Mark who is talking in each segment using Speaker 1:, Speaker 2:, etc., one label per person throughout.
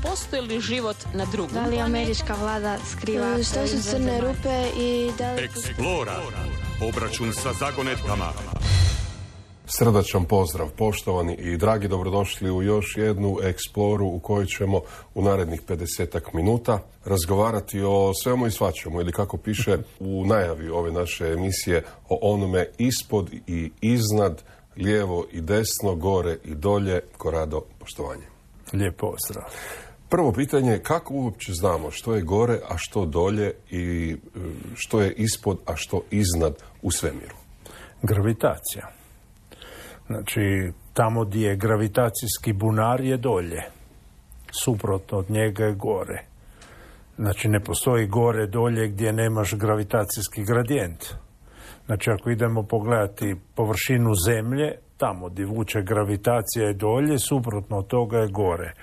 Speaker 1: postoji li život na drugom
Speaker 2: Da li američka vlada skriva...
Speaker 3: Što su crne rupe i da li...
Speaker 4: Eksplora. Obračun sa zagonetkama.
Speaker 5: Srdačan pozdrav, poštovani i dragi, dobrodošli u još jednu eksploru u kojoj ćemo u narednih 50 minuta razgovarati o svemu i svačemu, ili kako piše u najavi ove naše emisije, o onome ispod i iznad, lijevo i desno, gore i dolje. Korado, poštovanje.
Speaker 6: Lijep pozdrav.
Speaker 5: Prvo pitanje, kako uopće znamo što je gore, a što dolje i što je ispod, a što iznad u svemiru?
Speaker 6: Gravitacija. Znači, tamo gdje je gravitacijski bunar je dolje. Suprotno od njega je gore. Znači, ne postoji gore dolje gdje nemaš gravitacijski gradijent. Znači, ako idemo pogledati površinu Zemlje, tamo gdje vuče gravitacija je dolje, suprotno od toga je gore.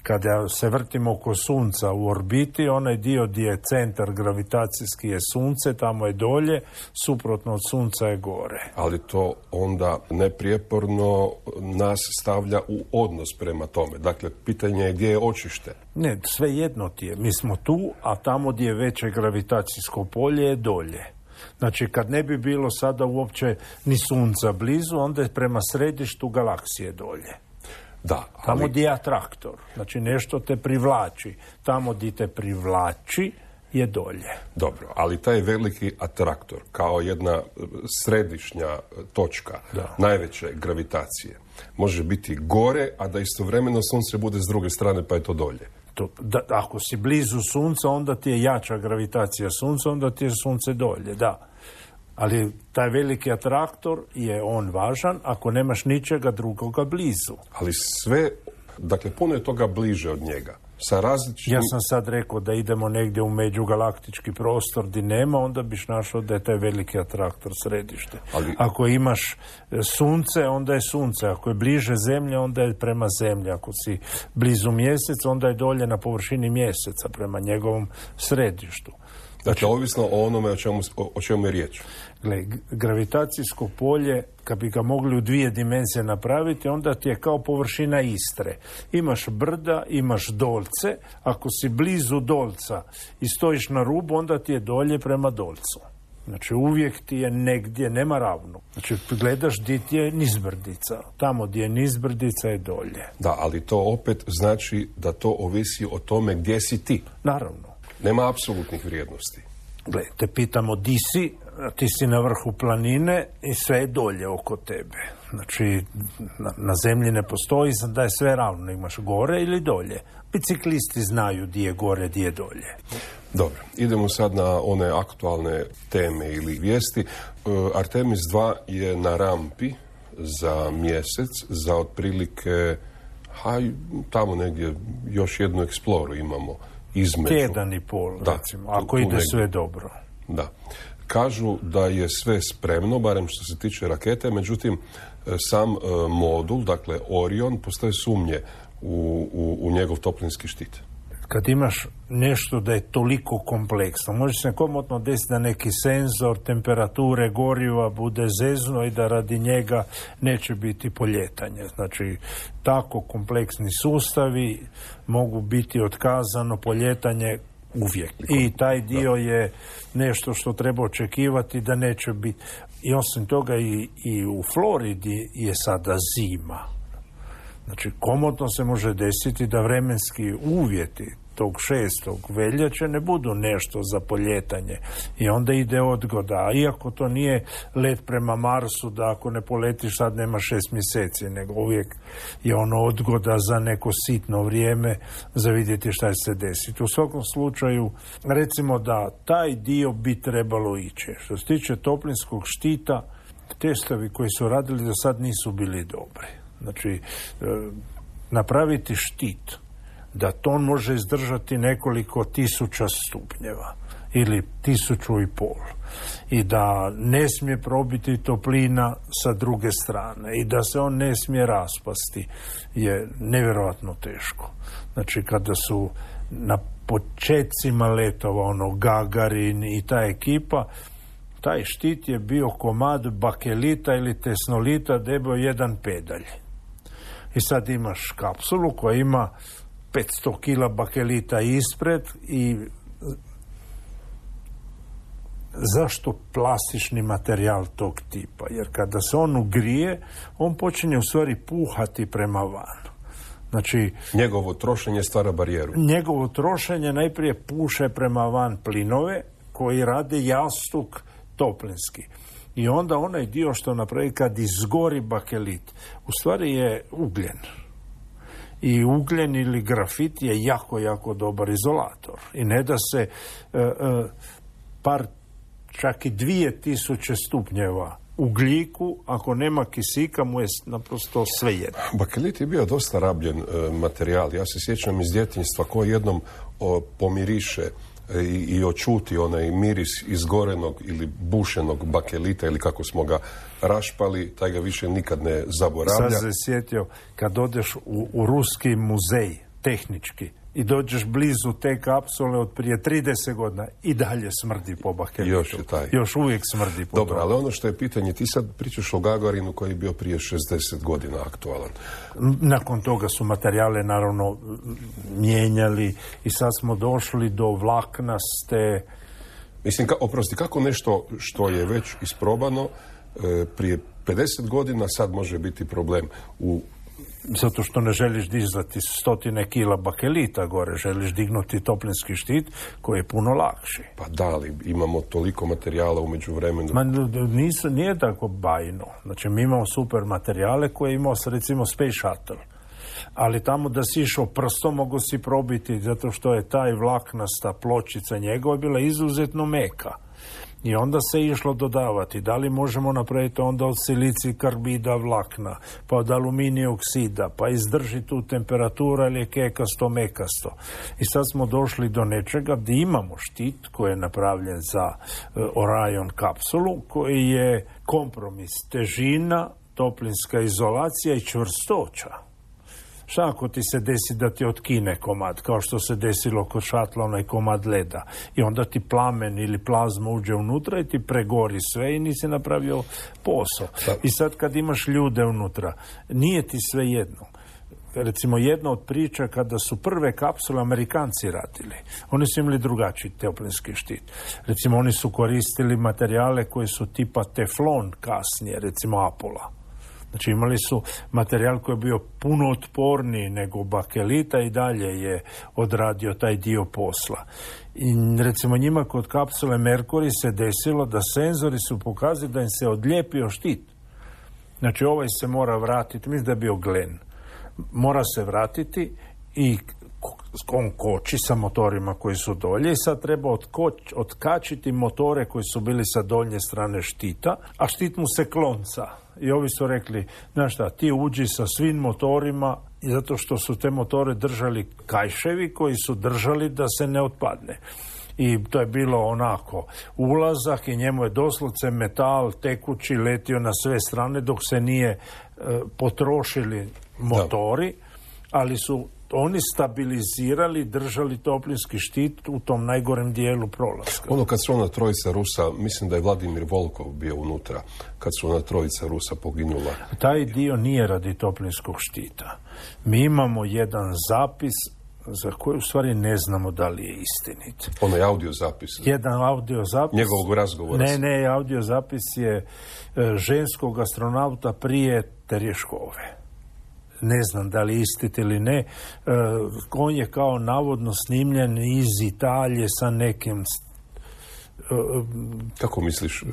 Speaker 6: Kada se vrtimo oko Sunca u orbiti, onaj dio gdje je centar gravitacijski je Sunce, tamo je dolje, suprotno od Sunca je gore.
Speaker 5: Ali to onda neprijeporno nas stavlja u odnos prema tome. Dakle, pitanje je gdje je očište.
Speaker 6: Ne, sve jedno ti je. Mi smo tu, a tamo gdje je veće gravitacijsko polje je dolje. Znači, kad ne bi bilo sada uopće ni Sunca blizu, onda je prema središtu galaksije dolje.
Speaker 5: Da, ali...
Speaker 6: Tamo gdje je atraktor. Znači, nešto te privlači. Tamo gdje te privlači je dolje.
Speaker 5: Dobro, ali taj veliki atraktor, kao jedna središnja točka, najveće gravitacije, može biti gore, a da istovremeno Sunce bude s druge strane, pa je to dolje.
Speaker 6: Ako si blizu Sunca, onda ti je jača gravitacija Sunca, onda ti je Sunce dolje, da. Ali taj veliki atraktor je on važan ako nemaš ničega drugoga blizu.
Speaker 5: Ali sve, dakle, puno je toga bliže od njega. Sa različitim...
Speaker 6: Ja sam sad rekao da idemo negdje u međugalaktički prostor gdje nema, onda biš našao da je taj veliki atraktor središte.
Speaker 5: Ali...
Speaker 6: Ako imaš Sunce, onda je Sunce. Ako je bliže Zemlje, onda je prema Zemlji. Ako si blizu Mjeseca, onda je dolje na površini Mjeseca, prema njegovom središtu.
Speaker 5: Dakle, ovisno o onome o čemu je riječ.
Speaker 6: Gle, gravitacijsko polje, kad bi ga mogli u 2 dimenzije napraviti, onda ti je kao površina Istre. Imaš brda, imaš dolce. Ako si blizu dolca i stojiš na rubu, onda ti je dolje prema dolcu. Znači, uvijek ti je negdje, nema ravno. Znači, gledaš gdje ti je nizbrdica. Tamo gdje je nizbrdica je dolje.
Speaker 5: Da, ali to opet znači da to ovisi o tome gdje si ti.
Speaker 6: Naravno.
Speaker 5: Nema apsolutnih vrijednosti.
Speaker 6: Gle, te pitamo di si, ti si na vrhu planine i sve je dolje oko tebe. Znači, na Zemlji ne postoji da je sve ravno, imaš gore ili dolje. Biciklisti znaju di je gore, di je dolje.
Speaker 5: Dobro, idemo sad na one aktualne teme ili vijesti. Artemis 2 je na rampi za mjesec, za otprilike, tamo negdje još jednu eksploru imamo. Između. 1,5, recimo, ako ide sve dobro. Da. Kažu da je sve spremno, barem što se tiče rakete, međutim, sam modul, dakle Orion, postoje sumnje u njegov toplinski štit.
Speaker 6: Kad imaš nešto da je toliko kompleksno, može se komotno desiti da neki senzor temperature goriva bude zezno i da radi njega neće biti poljetanje. Znači, tako kompleksni sustavi mogu biti otkazano poljetanje uvijek. I taj dio je nešto što treba očekivati da neće biti. I osim toga i u Floridi je sada zima. Znači, komotno se može desiti da vremenski uvjeti tog 6. veljače ne budu nešto za poljetanje. I onda ide odgoda. A iako to nije let prema Marsu, da ako ne poletiš sad nema 6 mjeseci, nego uvijek je ono odgoda za neko sitno vrijeme za vidjeti šta će se desiti. U svakom slučaju, recimo da taj dio bi trebalo ići. Što se tiče toplinskog štita, testovi koji su radili do sad nisu bili dobri. Znači, napraviti štit da to može izdržati nekoliko tisuća stupnjeva ili 1,500 i da ne smije probiti toplina sa druge strane i da se on ne smije raspasti je nevjerojatno teško. Znači, kada su na počecima letova Gagarin i ta ekipa, taj štit je bio komad bakelita ili tesnolita debeo 1 pedalj. I sad imaš kapsulu koja ima 500 kila bakelita ispred i zašto plastični materijal tog tipa? Jer kada se on ugrije, on počinje u stvari puhati prema van. Znači,
Speaker 5: njegovo trošenje stvara barijeru.
Speaker 6: Njegovo trošenje najprije puše prema van plinove koji rade jastuk toplinski. I onda onaj dio što napravi kad izgori bakelit, u stvari je ugljen. I ugljen ili grafit je jako, jako dobar izolator. I ne da se čak i 2000 stupnjeva ugljiku, ako nema kisika, mu je naprosto svejedno.
Speaker 5: Bakelit je bio dosta rabljen materijal. Ja se sjećam iz djetinjstva ko jednom pomiriše i očuti onaj miris izgorenog ili bušenog bakelita ili kako smo ga rašpali, taj ga više nikad ne zaboravlja.
Speaker 6: Sad se sjetio, kad odeš u ruski muzej, tehnički, i dođeš blizu te kapsule od prije 30 godina i dalje smrdi po bakelitu. Još uvijek smrdi po
Speaker 5: Dobro, ali ono što je pitanje, ti sad pričaš o Gagarinu koji je bio prije 60 godina aktualan.
Speaker 6: Nakon toga su materijale naravno mijenjali i sad smo došli do vlaknaste...
Speaker 5: Mislim, kako nešto što je već isprobano prije 50 godina sad može biti problem
Speaker 6: Zato što ne želiš dizati 100 kila bakelita gore, želiš dignuti toplinski štit koji je puno lakši.
Speaker 5: Pa da li, imamo toliko materijala u međuvremenu?
Speaker 6: Nije tako bajno. Znači, mi imamo super materijale koje imamo, recimo, Space Shuttle. Ali tamo da si išao prstom mogu si probiti, zato što je taj vlaknasta pločica njegova bila izuzetno meka. I onda se išlo dodavati. Da li možemo napraviti onda od silicij karbida vlakna, pa od aluminija oksida, pa izdrži tu temperaturu, ali je kekasto, mekasto. I sad smo došli do nečega gdje imamo štit koji je napravljen za Orion kapsulu, koji je kompromis težina, toplinska izolacija i čvrstoća. Šta ako ti se desi da ti otkine komad, kao što se desilo kod šatla, onaj komad leda, i onda ti plamen ili plazma uđe unutra i ti pregori sve i nisi napravio posao. I sad kad imaš ljude unutra, nije ti sve jedno. Recimo, jedna od priča kada su prve kapsule Amerikanci radili, oni su imali drugačiji toplinski štit. Recimo, oni su koristili materijale koji su tipa teflon kasnije, recimo Apola. Znači, imali su materijal koji je bio puno otporniji nego bakelita i dalje je odradio taj dio posla. I recimo njima kod kapsule Mercury se desilo da senzori su pokazali da im se odlijepio štit. Znači, ovaj se mora vratiti, mislim da je bio Glen. Mora se vratiti i on koči sa motorima koji su dolje i sad treba otkačiti motore koji su bili sa donje strane štita, a štit mu se klonca. I ovi su rekli, znaš šta, ti uđi sa svim motorima, i zato što su te motore držali kajševi koji su držali da se ne otpadne. I to je bilo onako ulazak i njemu je doslovce metal tekući letio na sve strane dok se nije potrošili motori, ali su oni stabilizirali, držali toplinski štit u tom najgorem dijelu prolaska.
Speaker 5: Ono kad su ona trojica Rusa, mislim da je Vladimir Volkov bio unutra, kad su ona trojica Rusa poginula.
Speaker 6: Taj dio nije radi toplinskog štita. Mi imamo jedan zapis za koji u stvari ne znamo da li je istinit.
Speaker 5: Onaj audio zapis.
Speaker 6: Jedan audio zapis.
Speaker 5: Njegovog razgovora.
Speaker 6: Ne, audio zapis je ženskog astronauta prije Terješkove. Ne znam da li istit ili ne. On je kao navodno snimljen iz Italije sa nekim...
Speaker 5: Kako misliš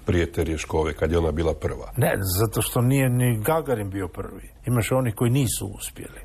Speaker 5: prije Terješkove, kad je ona bila prva?
Speaker 6: Ne, zato što nije ni Gagarin bio prvi. Imaš oni koji nisu uspjeli.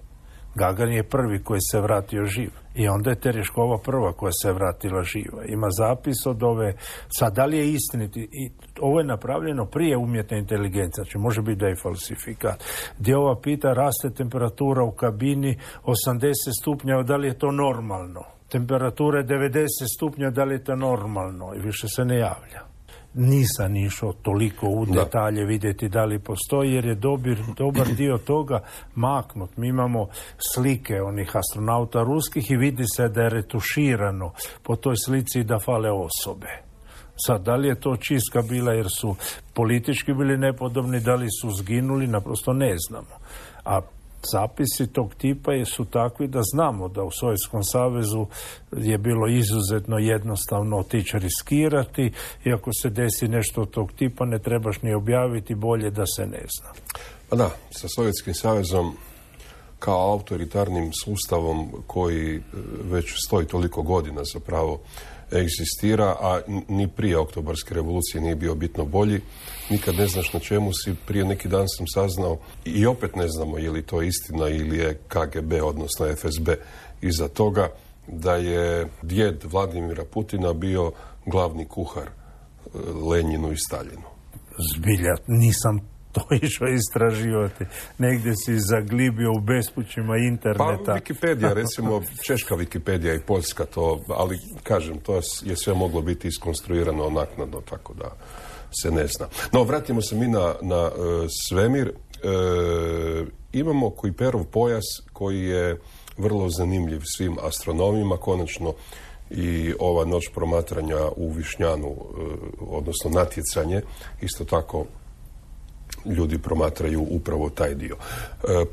Speaker 6: Gagarin je prvi koji se vratio živ. I onda je Terješkova prva koja se vratila živa. Ima zapis od ove... Sad, da li je istiniti? I ovo je napravljeno prije umjetne inteligencije. Znači, može biti da je falsifikat. Gdje ova pita, raste temperatura u kabini 80 stupnjeva, da li je to normalno? Temperatura je 90 stupnjeva, da li je to normalno? I više se ne javlja. Nisam išao toliko u detalje vidjeti da li postoji, jer je dobar dio toga maknut. Mi imamo slike onih astronauta ruskih i vidi se da je retuširano po toj slici da fale osobe. Sad, da li je to čistka bila jer su politički bili nepodobni, da li su zginuli, naprosto ne znamo. A zapisi tog tipa su takvi da znamo da u Sovjetskom savezu je bilo izuzetno jednostavno otići riskirati i ako se desi nešto od tog tipa ne trebaš ni objaviti, bolje da se ne zna.
Speaker 5: Pa da, sa Sovjetskim savezom kao autoritarnim sustavom koji već stoji toliko godina zapravo egzistira, a ni prije Oktobarske revolucije nije bio bitno bolji. Nikad ne znaš na čemu si. Prije neki dan sam saznao i opet ne znamo je li to istina ili je KGB, odnosno FSB iza toga, da je djed Vladimira Putina bio glavni kuhar Lenjinu i Staljinu.
Speaker 6: Zbilja, nisam to išao istraživati. Negdje si zaglibio u bespućima interneta.
Speaker 5: Pa Wikipedija, recimo Češka Wikipedija i Poljska to, ali kažem, to je sve moglo biti iskonstruirano naknadno, tako da se ne zna. No, vratimo se mi na svemir. Imamo Kuiperov pojas koji je vrlo zanimljiv svim astronomima, konačno i ova noć promatranja u Višnjanu, odnosno natjecanje, isto tako ljudi promatraju upravo taj dio.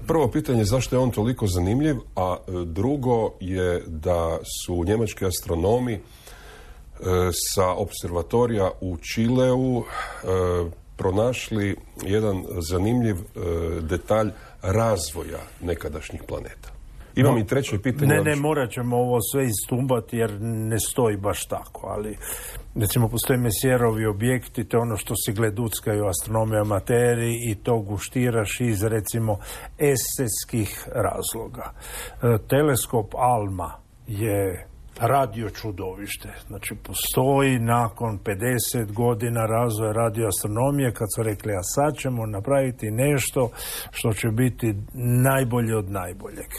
Speaker 5: Prvo pitanje je zašto je on toliko zanimljiv, a drugo je da su njemački astronomi sa observatorija u Čileu pronašli jedan zanimljiv detalj razvoja nekadašnjih planeta. Imam i treće pitanje.
Speaker 6: Ne, morat ćemo ovo sve istumbati jer ne stoji baš tako, ali recimo postoje Messierovi objekti, to je ono što si gleduckaju astronomi amateri i to guštiraš iz recimo estetskih razloga. Teleskop ALMA je radio čudovište. Znači, postoji nakon 50 godina razvoja radioastronomije kad su rekli, a sad ćemo napraviti nešto što će biti najbolje od najboljeg.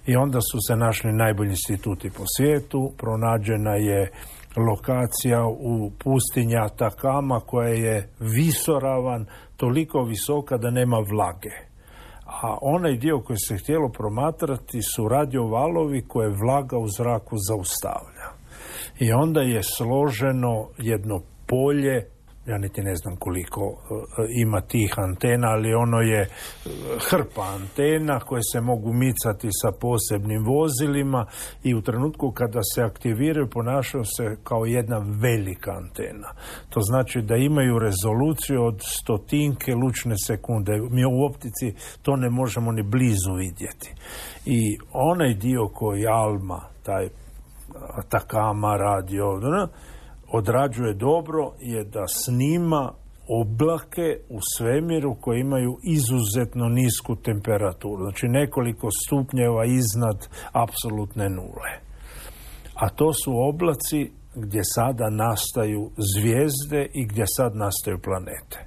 Speaker 6: I onda su se našli najbolji instituti po svijetu, pronađena je lokacija u pustinji Atakama koja je visoravan, toliko visoka da nema vlage. A onaj dio koji se htjelo promatrati su radiovalovi koje vlaga u zraku zaustavlja. I onda je složeno jedno polje, ja niti ne znam koliko ima tih antena, ali ono je hrpa antena koje se mogu micati sa posebnim vozilima i u trenutku kada se aktiviraju ponašaju se kao jedna velika antena. To znači da imaju rezoluciju od 100 lučne sekunde. Mi u optici to ne možemo ni blizu vidjeti. I onaj dio koji ALMA, taj Atakama radio, odrađuje dobro je da snima oblake u svemiru koji imaju izuzetno nisku temperaturu. Znači nekoliko stupnjeva iznad apsolutne nule. A to su oblaci gdje sada nastaju zvijezde i gdje sad nastaju planete.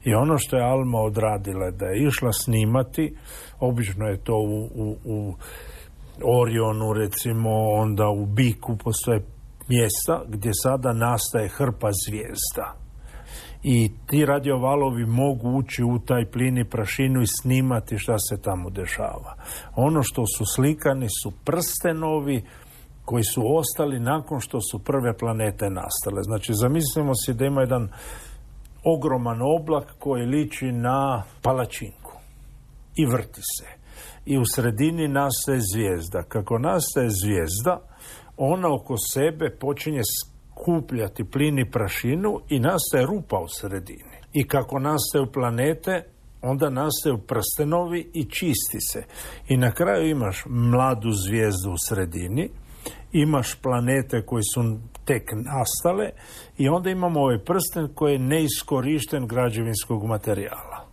Speaker 6: I ono što je ALMA odradila da je išla snimati, obično je to u Orionu recimo, onda u Biku postoje mjesta gdje sada nastaje hrpa zvijezda. I ti radiovalovi mogu ući u taj plin i prašinu i snimati šta se tamo dešava. Ono što su slikani su prstenovi koji su ostali nakon što su prve planete nastale. Znači, zamislimo si da ima jedan ogroman oblak koji liči na palačinku i vrti se. I u sredini nastaje zvijezda. Kako nastaje zvijezda, ona oko sebe počinje skupljati plin i prašinu i nastaje rupa u sredini. I kako nastaju planete, onda nastaju prstenovi i čisti se. I na kraju imaš mladu zvijezdu u sredini, imaš planete koji su tek nastale i onda imamo ovaj prsten koji je neiskorišten građevinskog materijala.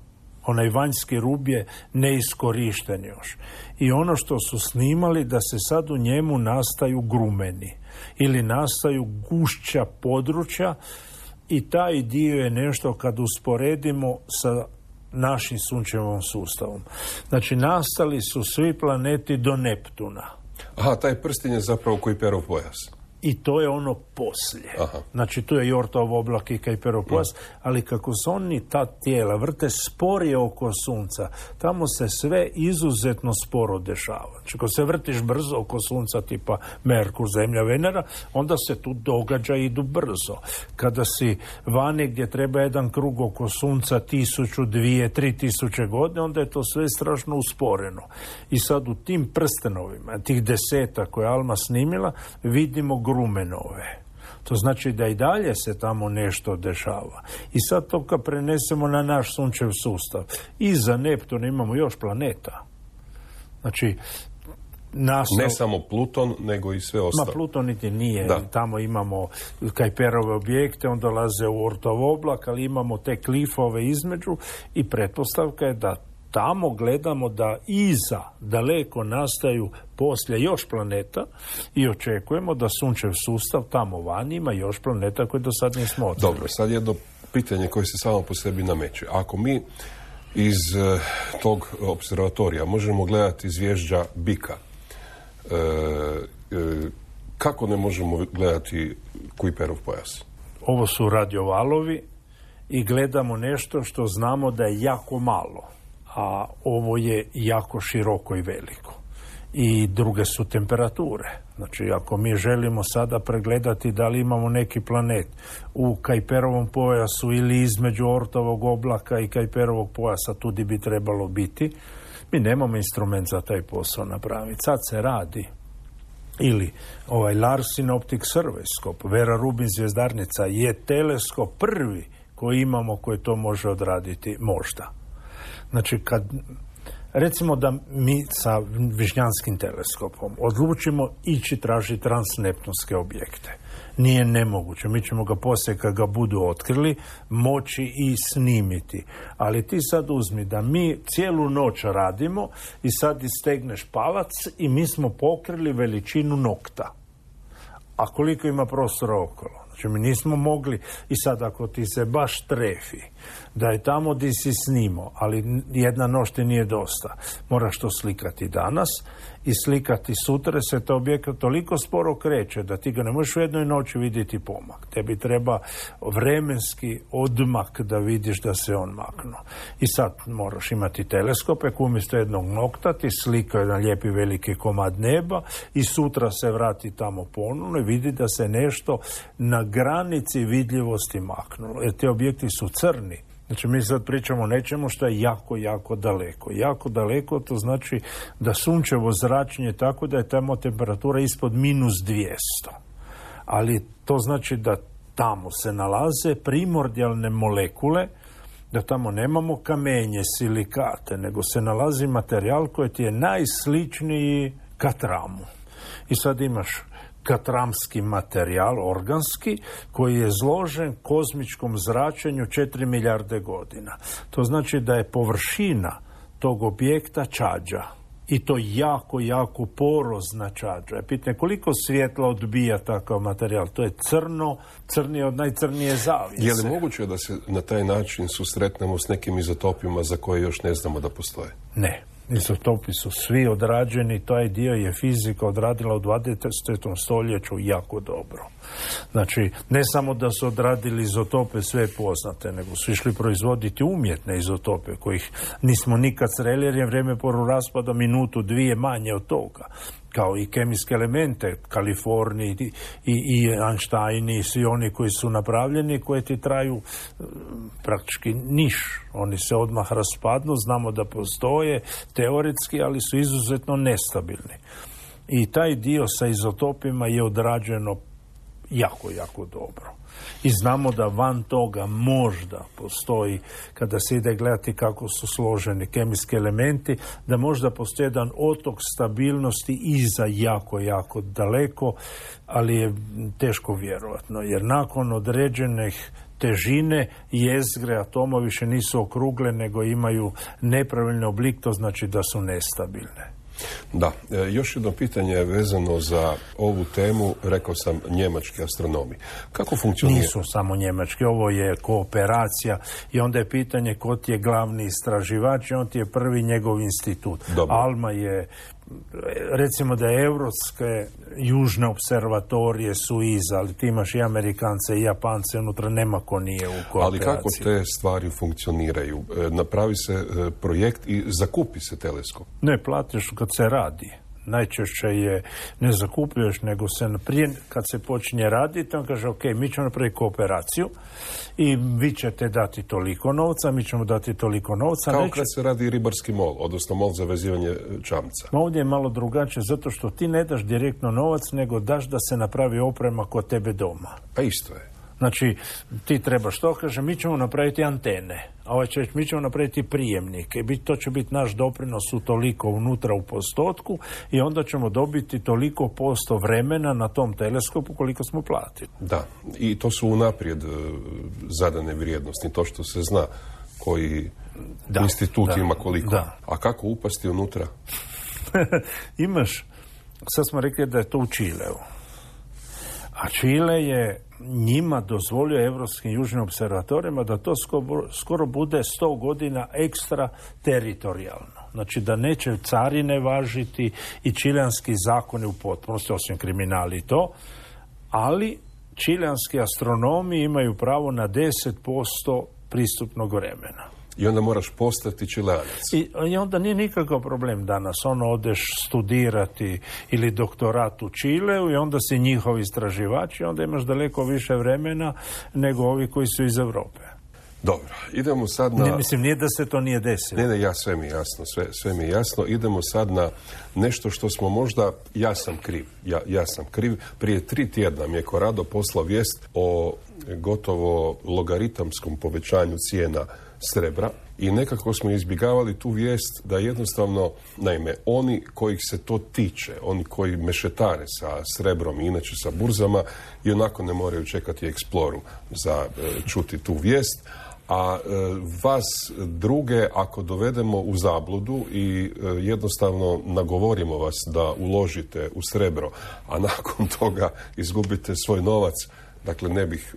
Speaker 6: Onaj vanjski rub je neiskorišten još. I ono što su snimali da se sad u njemu nastaju grumeni ili nastaju gušća područja i taj dio je nešto kad usporedimo sa našim sunčevom sustavom. Znači nastali su svi planeti do Neptuna.
Speaker 5: Aha, taj prsten je zapravo Kuiperov pojas.
Speaker 6: I to je ono poslije.
Speaker 5: Aha.
Speaker 6: Znači, tu je Jortov oblak i Kuiperov pojas, ali kako se oni, ta tijela, vrte sporije oko sunca, tamo se sve izuzetno sporo dešava. Znači, ako se vrtiš brzo oko sunca, tipa Merkur, Zemlja, Venera, onda se tu događaji idu brzo. Kada si vani gdje treba jedan krug oko sunca 1000, 2000, 3000 godina, onda je to sve strašno usporeno. I sad u tim prstenovima, tih 10 koje Alma snimila, vidimo grumenove. To znači da i dalje se tamo nešto dešava. I sad to kad prenesemo na naš sunčev sustav, iza Neptuna imamo još planeta. Znači,
Speaker 5: ne samo Pluton, nego i sve ostalo.
Speaker 6: Ma Pluton niti nije.
Speaker 5: Da.
Speaker 6: Tamo imamo Kuiperove objekte, on dolaze u Oortov oblak, ali imamo te klifove između i pretpostavka je da tamo gledamo da iza daleko nastaju poslije još planeta i očekujemo da sunčev sustav tamo vani ima još planeta koje do sad nismo otkrili.
Speaker 5: Dobro, sad jedno pitanje koje se samo po sebi nameće. Ako mi iz tog observatorija možemo gledati zvježđa Bika, kako ne možemo gledati Kuiperov pojas?
Speaker 6: Ovo su radiovalovi i gledamo nešto što znamo da je jako malo, a ovo je jako široko i veliko. I druge su temperature. Znači, ako mi želimo sada pregledati da li imamo neki planet u Kuiperovom pojasu ili između Oortovog oblaka i Kuiperovog pojasa, tudi bi trebalo biti, mi nemamo instrument za taj posao napraviti. Sad se radi. Ili Larsen Optic Survey, Vera Rubin zvjezdarnica, je teleskop prvi koji imamo koji to može odraditi možda. Znači, kad recimo da mi sa Višnjanskim teleskopom odlučimo ići tražiti transneptunske objekte. Nije nemoguće. Mi ćemo ga poslije kad ga budu otkrili moći i snimiti. Ali ti sad uzmi da mi cijelu noć radimo i sad istegneš palac i mi smo pokrili veličinu nokta. A koliko ima prostora okolo? Znači, mi nismo mogli, i sad ako ti se baš trefi da je tamo di si snimao, ali jedna noć ti nije dosta, moraš to slikati danas i slikati sutra, se to objekat toliko sporo kreće da ti ga ne možeš u jednoj noći vidjeti pomak. Tebi treba vremenski odmak da vidiš da se on maknuo. I sad moraš imati teleskope koji umjesto jednog nokta ti slika jedan lijepi veliki komad neba i sutra se vrati tamo ponovno i vidi da se nešto na granici vidljivosti maknulo. Jer ti objekti su crni. Znači, mi sad pričamo o nečemu što je jako, jako daleko. Jako daleko, to znači da sunčevo zračenje je tako da je tamo temperatura ispod -200. Ali to znači da tamo se nalaze primordijalne molekule, da tamo nemamo kamenje, silikate, nego se nalazi materijal koji ti je najsličniji katramu. I sad imaš katramski materijal, organski, koji je izložen kozmičkom zračenju 4 milijarde godina. To znači da je površina tog objekta čađa. I to jako, jako porozna čađa. Pitanje koliko svjetla odbija takav materijal? To je crno, crnije od najcrnije zavjese.
Speaker 5: Je li moguće da se na taj način susretnemo s nekim izotopima za koje još ne znamo da postoje?
Speaker 6: Ne. Izotopi su svi odrađeni, taj dio je fizika odradila u 20. stoljeću jako dobro. Znači, ne samo da su odradili izotope sve poznate, nego su išli proizvoditi umjetne izotope, kojih nismo nikad sreli, jer je vrijeme poru raspada minutu, dvije manje od toga. Kao i kemijske elemente, Kaliforniji i Einsteini i svi oni koji su napravljeni, koji ti traju praktički niš. Oni se odmah raspadnu, znamo da postoje teoretski, ali su izuzetno nestabilni. I taj dio sa izotopima je odrađeno jako, jako dobro. I znamo da van toga možda postoji, kada se ide gledati kako su složeni kemijski elementi, da možda postoji jedan otok stabilnosti iza jako, jako daleko, ali je teško vjerovatno, jer nakon određenih težine jezgre atoma više nisu okrugle, nego imaju nepravilni oblik, to znači da su nestabilne.
Speaker 5: Da, još jedno pitanje je vezano za ovu temu, rekao sam njemački astronomi. Kako funkcionira?
Speaker 6: Nisu samo njemački, ovo je kooperacija i onda je pitanje ko ti je glavni istraživač i on ti je prvi njegov institut.
Speaker 5: Dobro.
Speaker 6: Alma je recimo da je europske južne observatorije su iza, ali ti imaš i Amerikance i Japance, unutra nema ko nije u kooperaciji.
Speaker 5: Ali kako te stvari funkcioniraju? Napravi se projekt i zakupi se teleskop?
Speaker 6: Ne, platiš kad se radi. Najčešće je ne zakupljuješ, nego se prije kad se počinje raditi, on kaže ok, mi ćemo napraviti kooperaciju i vi ćete dati toliko novca, mi ćemo dati toliko novca.
Speaker 5: Kao kad se radi ribarski mol, odnosno mol za vezivanje čamca.
Speaker 6: Ovdje je malo drugačije, zato što ti ne daš direktno novac, nego daš da se napravi oprema kod tebe doma.
Speaker 5: Pa isto je.
Speaker 6: Znači, ti trebaš to, kaže, mi ćemo napraviti antene, a ovaj će reći, mi ćemo napraviti prijemnike, to će biti naš doprinos u toliko unutra u postotku i onda ćemo dobiti toliko posto vremena na tom teleskopu koliko smo platili.
Speaker 5: Da, i to su unaprijed zadane vrijednosti, to što se zna koji institut ima koliko. Da. A kako upasti unutra?
Speaker 6: Imaš, sad smo rekli da je to u Čileu. A Čile je njima dozvolio evropskim južnim observatorijama da to skoro bude 100 godina ekstra teritorijalno. Znači da neće carine važiti i čileanski zakoni u potpunosti, osim kriminali i to, ali čileanski astronomi imaju pravo na 10% pristupnog vremena.
Speaker 5: I onda moraš postati Čileanac.
Speaker 6: I onda nije nikakav problem danas. Odeš studirati ili doktorat u Čileu i onda si njihov istraživač i onda imaš daleko više vremena nego ovi koji su iz Europe.
Speaker 5: Dobro, idemo sad na...
Speaker 6: Nije da se to nije desilo.
Speaker 5: Ne, sve mi je jasno, sve mi je jasno. Idemo sad na nešto što smo možda... Ja sam kriv. Prije 3 tjedna mi je Corrado poslao vijest o gotovo logaritamskom povećanju cijena srebra i nekako smo izbjegavali tu vijest da jednostavno, naime, oni kojih se to tiče, oni koji mešetare sa srebrom i inače sa burzama i onako ne moraju čekati Exploru za čuti tu vijest, a vas druge ako dovedemo u zabludu i jednostavno nagovorimo vas da uložite u srebro, a nakon toga izgubite svoj novac, dakle, ne bih...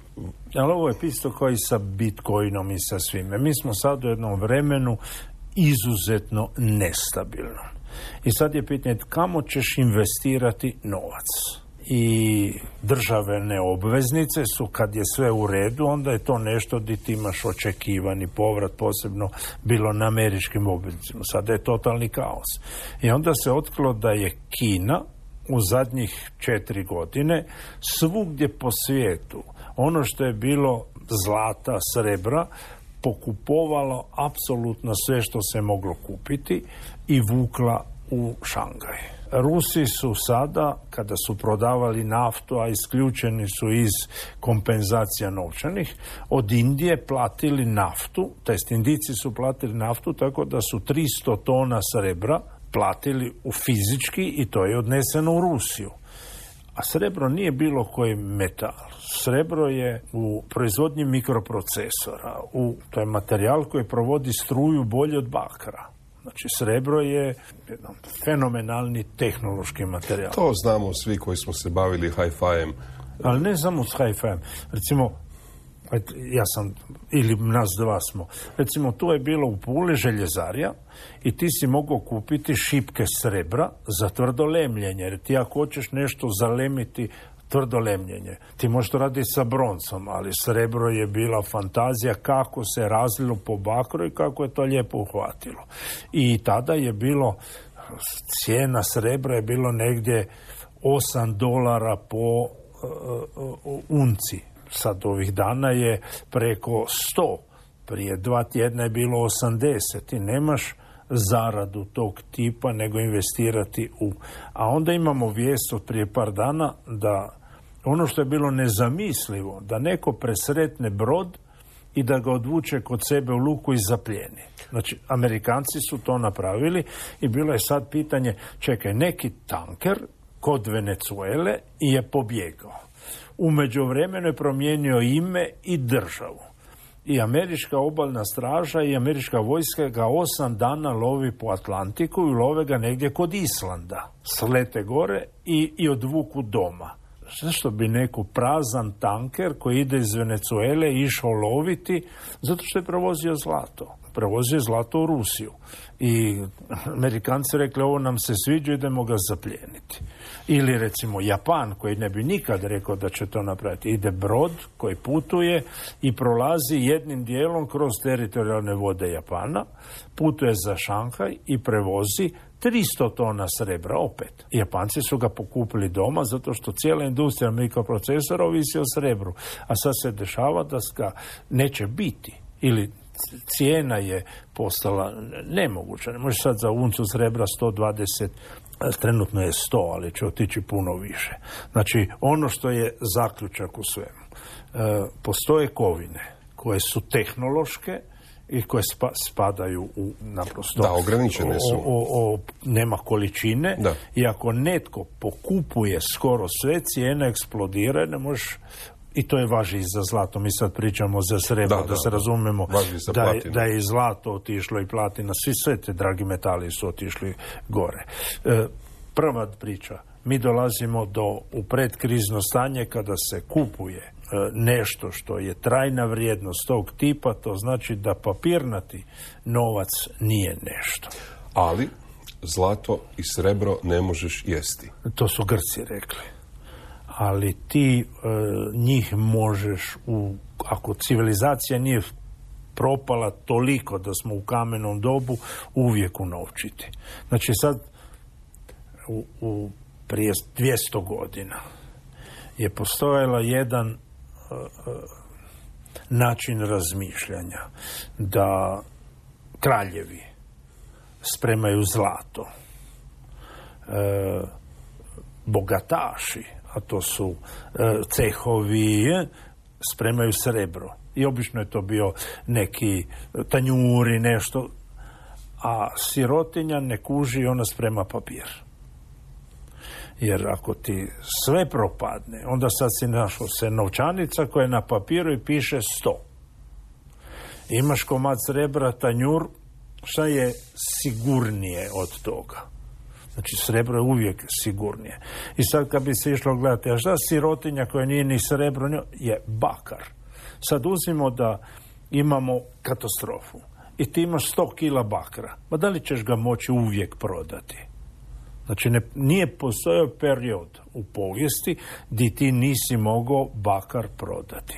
Speaker 6: Ali ovo je isto kao i sa Bitcoinom i sa svime. Mi smo sad u jednom vremenu izuzetno nestabilno. I sad je pitanje kamo ćeš investirati novac. I državne obveznice su, kad je sve u redu, onda je to nešto gdje ti imaš očekivani povrat, posebno bilo na američkim obveznicama. Sada je totalni kaos. I onda se otkrilo da je Kina u zadnjih 4 godine svugdje po svijetu ono što je bilo zlata, srebra, pokupovalo apsolutno sve što se moglo kupiti i vukla u Šangaj. Rusi su sada, kada su prodavali naftu, a isključeni su iz kompenzacija novčanih, od Indije platili naftu, tj. Indijci su platili naftu tako da su 300 tona srebra platili u fizički i to je odneseno u Rusiju. A srebro nije bilo koji metal. Srebro je u proizvodnji mikroprocesora. To je materijal koji provodi struju bolje od bakra. Znači, srebro je jedan fenomenalni tehnološki materijal.
Speaker 5: To znamo svi koji smo se bavili hi-fi-em.
Speaker 6: Ali ne samo s hi-fi-em. Recimo, ja sam, ili nas dva smo. Recimo, tu je bilo u Puli željezarija i ti si mogao kupiti šipke srebra za tvrdo lemljenje. Jer ti ako hoćeš nešto zalemiti tvrdo lemljenje, ti možeš to raditi sa broncom, ali srebro je bila fantazija kako se razlilo po bakru i kako je to lijepo uhvatilo. I tada je bilo, cijena srebra je bilo negdje $8 po unci. Sad ovih dana je preko 100. Prije 2 tjedna je bilo 80. I nemaš zaradu tog tipa nego investirati u... A onda imamo vijest od prije par dana da ono što je bilo nezamislivo, da neko presretne brod i da ga odvuče kod sebe u luku i zapljeni. Znači, Amerikanci su to napravili i bilo je sad pitanje, čekaj, neki tanker kod Venezuele je pobjegao. U međuvremenu je promijenio ime i državu. I američka obalna straža i američka vojska ga 8 dana lovi po Atlantiku i love ga negdje kod Islanda. Slete gore i odvuku doma. Zašto bi neko prazan tanker koji ide iz Venezuele išao loviti? Zato što je provozio zlato. prevozio zlato u Rusiju. I Amerikanci rekli, ovo nam se sviđa, idemo ga zaplijeniti. Ili recimo Japan, koji ne bi nikad rekao da će to napraviti. Ide brod koji putuje i prolazi jednim dijelom kroz teritorijalne vode Japana, putuje za Šanghaj i prevozi 300 tona srebra opet. Japanci su ga pokupili doma zato što cijela industrija mikroprocesora ovisi o srebru. A sad se dešava da ga neće biti. Ili cijena je postala nemoguća. Ne može sad za uncu srebra 120, trenutno je 100, ali će otići puno više. Znači, ono što je zaključak u svemu. Postoje kovine koje su tehnološke i koje spadaju u naprosto...
Speaker 5: Da, ograničene su.
Speaker 6: Nema količine.
Speaker 5: Da.
Speaker 6: I ako netko pokupuje skoro sve, cijena eksplodira, ne možeš... I to je važi i za zlato. Mi sad pričamo za srebro, da se razumemo da je i zlato otišlo i platina. Sve te dragi metali su otišli gore. Prva priča. Mi dolazimo u predkrizno stanje kada se kupuje nešto što je trajna vrijednost tog tipa, to znači da papirnati novac nije nešto.
Speaker 5: Ali zlato i srebro ne možeš jesti.
Speaker 6: To su Grci rekli. Ali ti njih možeš, ako civilizacija nije propala toliko da smo u kamenom dobu, uvijek unovčiti. Znači sad, prije 200 godina je postojala jedan način razmišljanja da kraljevi spremaju zlato, bogataši, a to su cehovi, spremaju srebro. I obično je to bio neki tanjuri, nešto, a sirotinja ne kuži, ona sprema papir. Jer ako ti sve propadne, onda sad si našao se novčanica koja je na papiru i piše 100. Imaš komad srebra, tanjur, šta je sigurnije od toga? Znači, srebro je uvijek sigurnije. I sad kad bi se išlo gledati, a šta sirotinja koja nije ni srebro, je bakar. Sad uzmimo da imamo katastrofu i ti imaš 100 kila bakra. Ma da li ćeš ga moći uvijek prodati? Znači, nije postojao period u povijesti gdje ti nisi mogao bakar prodati.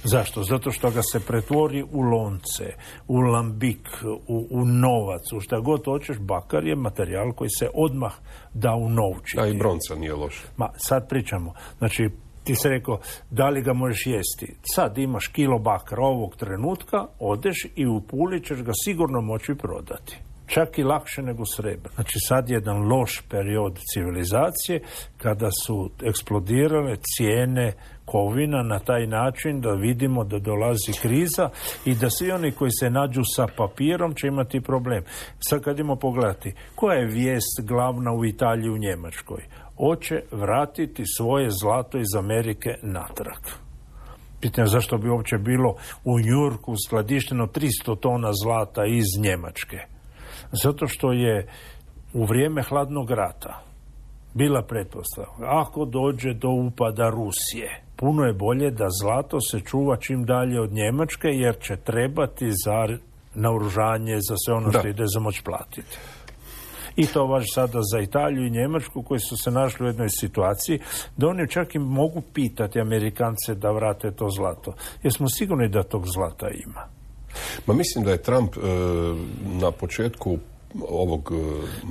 Speaker 6: Zašto? Zato što ga se pretvori u lonce, u lambik, u novac, u šta god hoćeš. Bakar je materijal koji se odmah da unovčiti.
Speaker 5: A i bronca nije loša.
Speaker 6: Ma, sad pričamo. Znači, ti se rekao, da li ga možeš jesti? Sad imaš kilo bakra ovog trenutka, odeš i u Puli ćeš ga sigurno moći prodati. Čak i lakše nego srebro. Znači sad je jedan loš period civilizacije kada su eksplodirale cijene kovina na taj način da vidimo da dolazi kriza i da svi oni koji se nađu sa papirom će imati problem. Sad kad idemo pogledati, koja je vijest glavna u Italiji i u Njemačkoj? Hoće vratiti svoje zlato iz Amerike natrag. Pitanje zašto bi uopće bilo u Njujorku skladišteno 300 tona zlata iz Njemačke. Zato što je u vrijeme hladnog rata bila pretpostavka, ako dođe do upada Rusije, puno je bolje da zlato se čuva čim dalje od Njemačke, jer će trebati za naoružanje, za sve ono što ide za moć platiti. I to važi sada za Italiju i Njemačku, koji su se našli u jednoj situaciji da oni čak i mogu pitati Amerikance da vrate to zlato. Jer smo sigurni da tog zlata ima.
Speaker 5: Ma mislim da je Trump na početku ovog...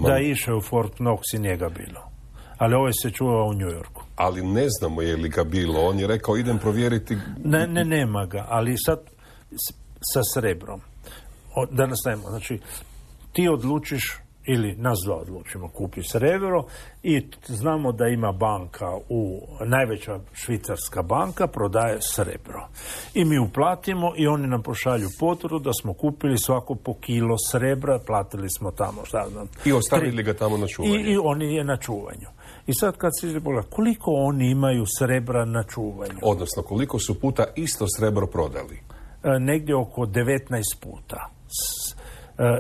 Speaker 6: Da je išao u Fort Knox i njega bilo. Ali ovo se čuvao u New Yorku.
Speaker 5: Ali ne znamo je li ga bilo. On je rekao idem provjeriti...
Speaker 6: Nema ga. Ali sad sa srebrom. Da nastavimo. Znači, ti odlučiš ili nas dva odlučimo kupi srebro i znamo da ima banka, najveća švicarska banka prodaje srebro. I mi uplatimo i oni nam pošalju potvrdu da smo kupili svako po kilo srebra, platili smo tamo, šta znam.
Speaker 5: I ostavili ga tamo na čuvanju.
Speaker 6: I oni je na čuvanju. I sad kad se pogleda, koliko oni imaju srebra na čuvanju?
Speaker 5: Odnosno, koliko su puta isto srebro prodali?
Speaker 6: Negdje oko 19 puta.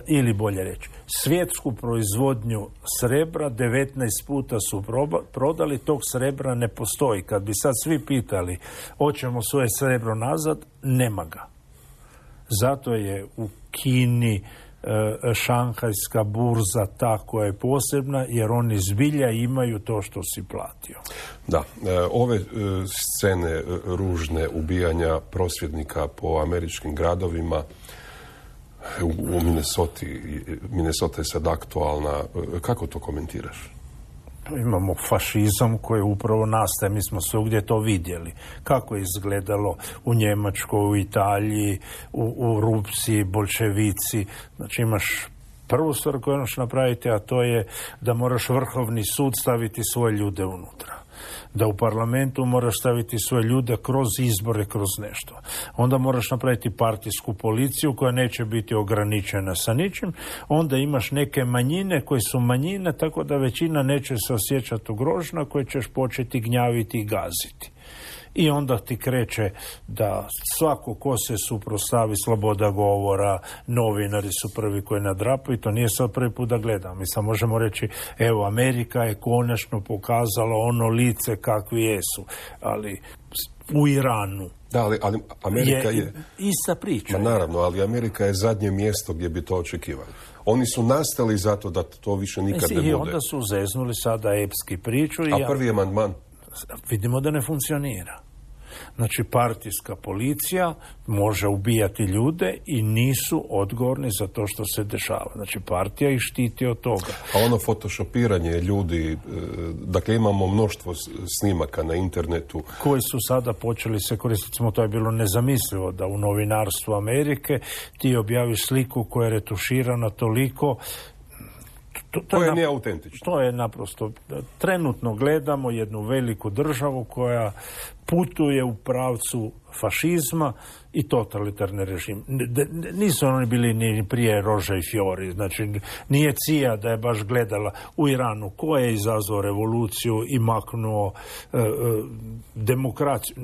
Speaker 6: Ili bolje reći, svjetsku proizvodnju srebra 19 puta su prodali, tog srebra ne postoji. Kad bi sad svi pitali, hoćemo svoje srebro nazad, nema ga. Zato je u Kini šanghajska burza ta koja je posebna, jer oni zbilja imaju to što si platio.
Speaker 5: Da, ove scene ružne ubijanja prosvjednika po američkim gradovima u Minnesota je sad aktualna. Kako to komentiraš?
Speaker 6: Imamo fašizam koji upravo nastaje, mi smo svugdje to vidjeli. Kako je izgledalo u Njemačkoj, u Italiji, u Rusiji, bolševici. Znači imaš prvu stvar koju moraš napraviti, a to je da moraš Vrhovni sud staviti svoje ljude unutra. Da u parlamentu moraš staviti svoje ljude kroz izbore, kroz nešto. Onda moraš napraviti partijsku policiju koja neće biti ograničena sa ničim. Onda imaš neke manjine koje su manjine, tako da većina neće se osjećati ugrožena, koje ćeš početi gnjaviti i gaziti. I onda ti kreće da svako ko se suprotstavi, sloboda govora, novinari su prvi koji nadrapaju, to nije sad prvi put da gledamo. Mi sad možemo reći, evo, Amerika je konačno pokazala ono lice kakvi jesu, ali u Iranu
Speaker 5: da, ali Amerika je
Speaker 6: ista priča.
Speaker 5: Naravno, ali Amerika je zadnje mjesto gdje bi to očekivali. Oni su nastali zato da to više nikad ne bude.
Speaker 6: I onda su zeznuli sada epski priču.
Speaker 5: A prvi amandman?
Speaker 6: Vidimo da ne funkcionira. Znači, partijska policija može ubijati ljude i nisu odgovorni za to što se dešava. Znači, partija ih štiti od toga.
Speaker 5: A ono fotošopiranje ljudi, dakle imamo mnoštvo snimaka na internetu.
Speaker 6: Koji su sada počeli se koristiti, to je bilo nezamislivo da u novinarstvu Amerike ti objaviš sliku koja je retuširana toliko.
Speaker 5: To je neautentično.
Speaker 6: To je naprosto, trenutno gledamo jednu veliku državu koja putuje u pravcu fašizma i totalitarni režim. Nisu oni bili ni prije Roža i Fiori, znači nije CIA da je baš gledala u Iranu ko je izazvao revoluciju i maknuo demokraciju,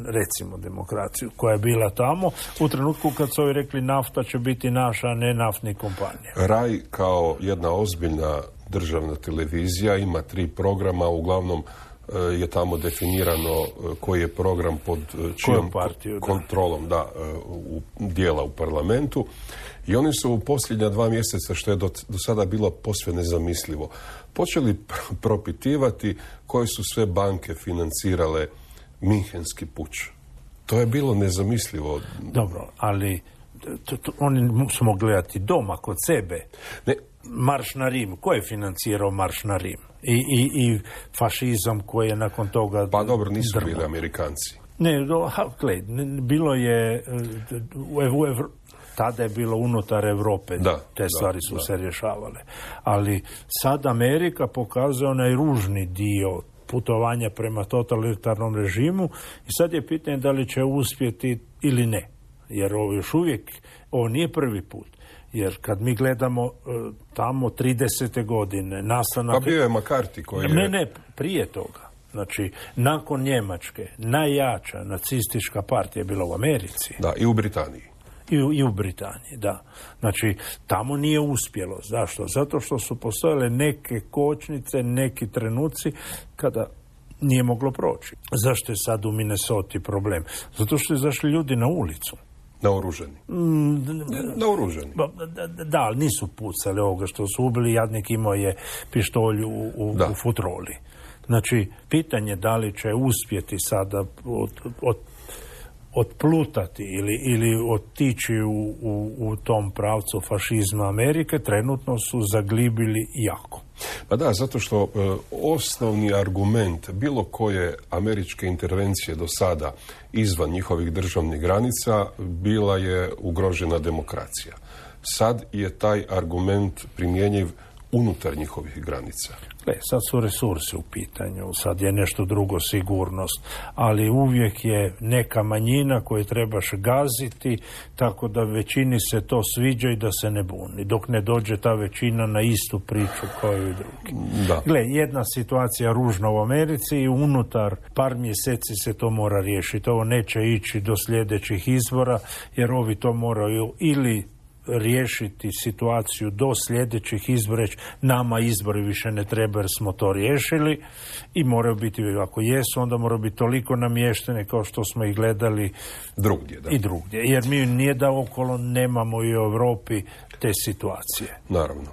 Speaker 6: recimo demokraciju koja je bila tamo u trenutku kad su ovi rekli nafta će biti naša, a ne naftnih kompanija.
Speaker 5: RAI kao jedna ozbiljna državna televizija ima 3 programa, uglavnom je tamo definirano koji je program pod čijom kontrolom dijela u parlamentu. I oni su u posljednja 2 mjeseca, što je do sada bilo posve nezamislivo, počeli propitivati koje su sve banke financirale Minhenski puč. To je bilo nezamislivo.
Speaker 6: Dobro, ali oni su mogli gledati doma kod sebe.
Speaker 5: Ne.
Speaker 6: Marš na Rim. Ko je financirao Marš na Rim? I fašizam koji je nakon toga...
Speaker 5: Pa dobro, nisu bili Amerikanci.
Speaker 6: Ne, bilo je... Tada je bilo unutar Europe. Te stvari su se rješavale. Ali sad Amerika pokazuje onaj ružni dio putovanja prema totalitarnom režimu i sad je pitanje da li će uspjeti ili ne. Jer ovo još uvijek, ovo nije prvi put. Jer kad mi gledamo tamo 30. godine nastanak...
Speaker 5: Pa bio je McCarthy koji je...
Speaker 6: Ne, prije toga. Znači, nakon Njemačke, najjača nacistička partija je bila u Americi.
Speaker 5: Da, i u Britaniji.
Speaker 6: I u Britaniji, da. Znači, tamo nije uspjelo. Zašto? Zato što su postojale neke kočnice, neki trenuci kada nije moglo proći. Zašto je sad u Minnesoti problem? Zato što je izašli ljudi na ulicu.
Speaker 5: Naoruženi. Naoruženi.
Speaker 6: Da, ali nisu pucali ovoga što su ubili. Jadnik imao je pištolj u futroli. Znači, pitanje da li će uspjeti sada otplutati ili otići u tom pravcu fašizma Amerike, trenutno su zaglibili jako.
Speaker 5: Pa da, zato što osnovni argument bilo koje američke intervencije do sada izvan njihovih državnih granica bila je ugrožena demokracija. Sad je taj argument primjenjiv unutar njihovih granica.
Speaker 6: Sad su resursi u pitanju, sad je nešto drugo sigurnost, ali uvijek je neka manjina koju trebaš gaziti, tako da većini se to sviđa i da se ne buni, dok ne dođe ta većina na istu priču kao i drugi. Jedna situacija ružna u Americi i unutar par mjeseci se to mora riješiti. Ovo neće ići do sljedećih izbora, jer ovi to moraju ili riješiti situaciju do sljedećih izbora, nama izbori više ne treba jer smo to riješili i moraju biti, ako jesu, onda moraju biti toliko namještene kao što smo ih gledali
Speaker 5: drugdje, da.
Speaker 6: I drugdje. Jer mi nije da okolo nemamo i u Europi te situacije.
Speaker 5: Naravno.